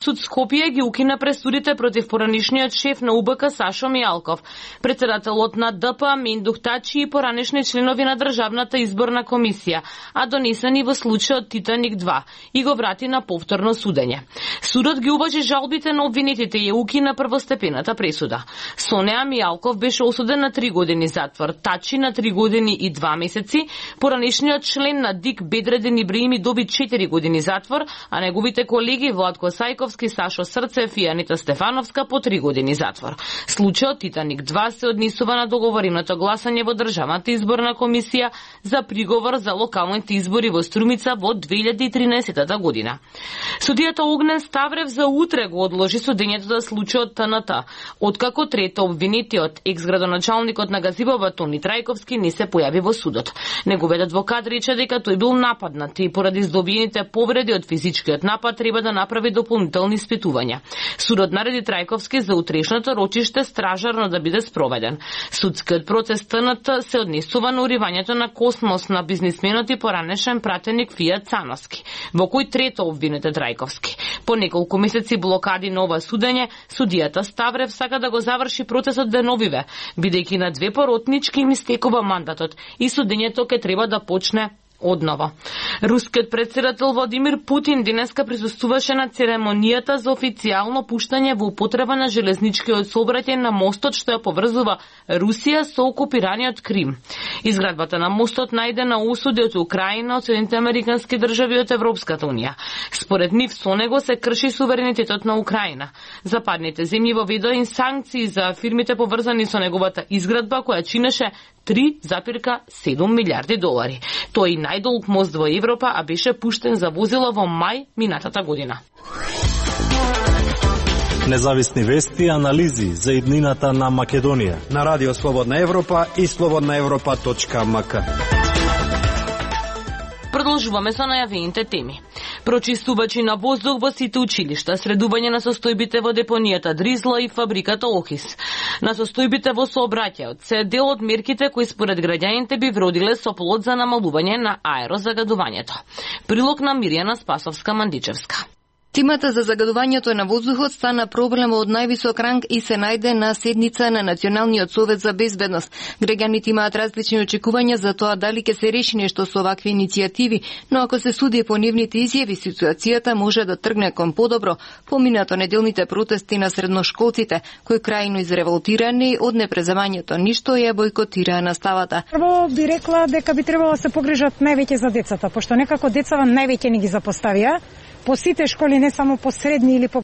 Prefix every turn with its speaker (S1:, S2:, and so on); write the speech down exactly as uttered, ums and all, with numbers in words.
S1: Суд Скопје ги укина пресудите против поранишниот шеф на У Б К Сашо Мијалков, председателот на Д П Миндух Тачи и поранишни членови на Државната изборна комисија, а донесени во случајот Титаник два, и го врати на повторно судење. Судот ги уважи жалбите на обвинетите и укина првостепената пресуда. Со неа Мијалков беше осуден на три години затвор, Тачи на три години и два месеци, поранишниот член на ДИК Бедреден Ибраими доби четири години затвор, а неговите колеги Владко Сајковски, Сашо Срцев и Анита Стефановска по три години затвор. Случајот Титаник два се однесува на договореното гласање во Државната изборна комисија за приговор за локалните избори во Струмица во две илјади и тринаесетта година. Судијата Огнен Ставрев за утре го одложи судењето за случајот Т Н Т, откако трето обвинетиот екс-градоначалникот на Газибоба Тони Трајковски не се појави во судот. Неговиот адвокат рече дека тој бил нападнат и поради здобиените повреди од физичкиот напад треба да направи дополнителни испитувања. Судот нареди Трајковски за утрешното рочиште стражарно да биде спроведен. Судскиот процес Т Н Т се однесува на уривањето на космос на бизнисменот и поранешен пратеник Фијат Цановски, во кој трето обвинет е Трајковски. По неколку месеци блокади на ова судење, судијата Ставрев сака да го заврши процесот деновиве, бидејќи на две поротнички им истекува мандатот и судењето ќе треба да почне однова. Рускиот председател Владимир Путин денеска присуствуваше на церемонијата за официјално пуштање во употреба на железничкиот сообраќај на мостот што ја поврзува Русија со окупираниот Крим. Изградбата на мостот најде на осуди од Украина, од Соединетите американски држави и од Европската унија. Според нив со него се крши суверенитетот на Украина. Западните земји воведоа и санкции за фирмите поврзани со неговата изградба која чинеше три запирка седум милиарди долари. Тој е најдолг мост во Европа, а беше пуштен за возила во мај минатата година.
S2: Независни вести и анализи за иднината на Македонија
S3: на Радио Слободна Европа и слободна европа точка м к.
S1: Продолжуваме со најавените теми. Прочистувачи на воздух во сите училишта, средување на состојбите во депонијата Дризла и фабриката Охис. На состојбите во сообраќајот се дел од мерките кои според граѓаните би вродиле со плод за намалување на аерозагадувањето. Прилог на Мирјана Спасовска-Мандичевска.
S4: Темата за загадувањето на воздухот стана проблем од највисок ранг и се најде на седница на Националниот совет за безбедност. Граѓаните имаат различни очекувања за тоа дали ќе се реши нешто со овакви иницијативи, но ако се суди по нивните изјави, ситуацијата може да тргне кон подобро, поминато неделните протести на средношколците, кои крајно изреволтирани од непреземањето ништо ја бойкотираа наставата.
S5: Прво би рекла дека би требало да се погрижат највеќе за децата, пошто некако децава највеќе не ги запоставија по сите школи, не само по средни или по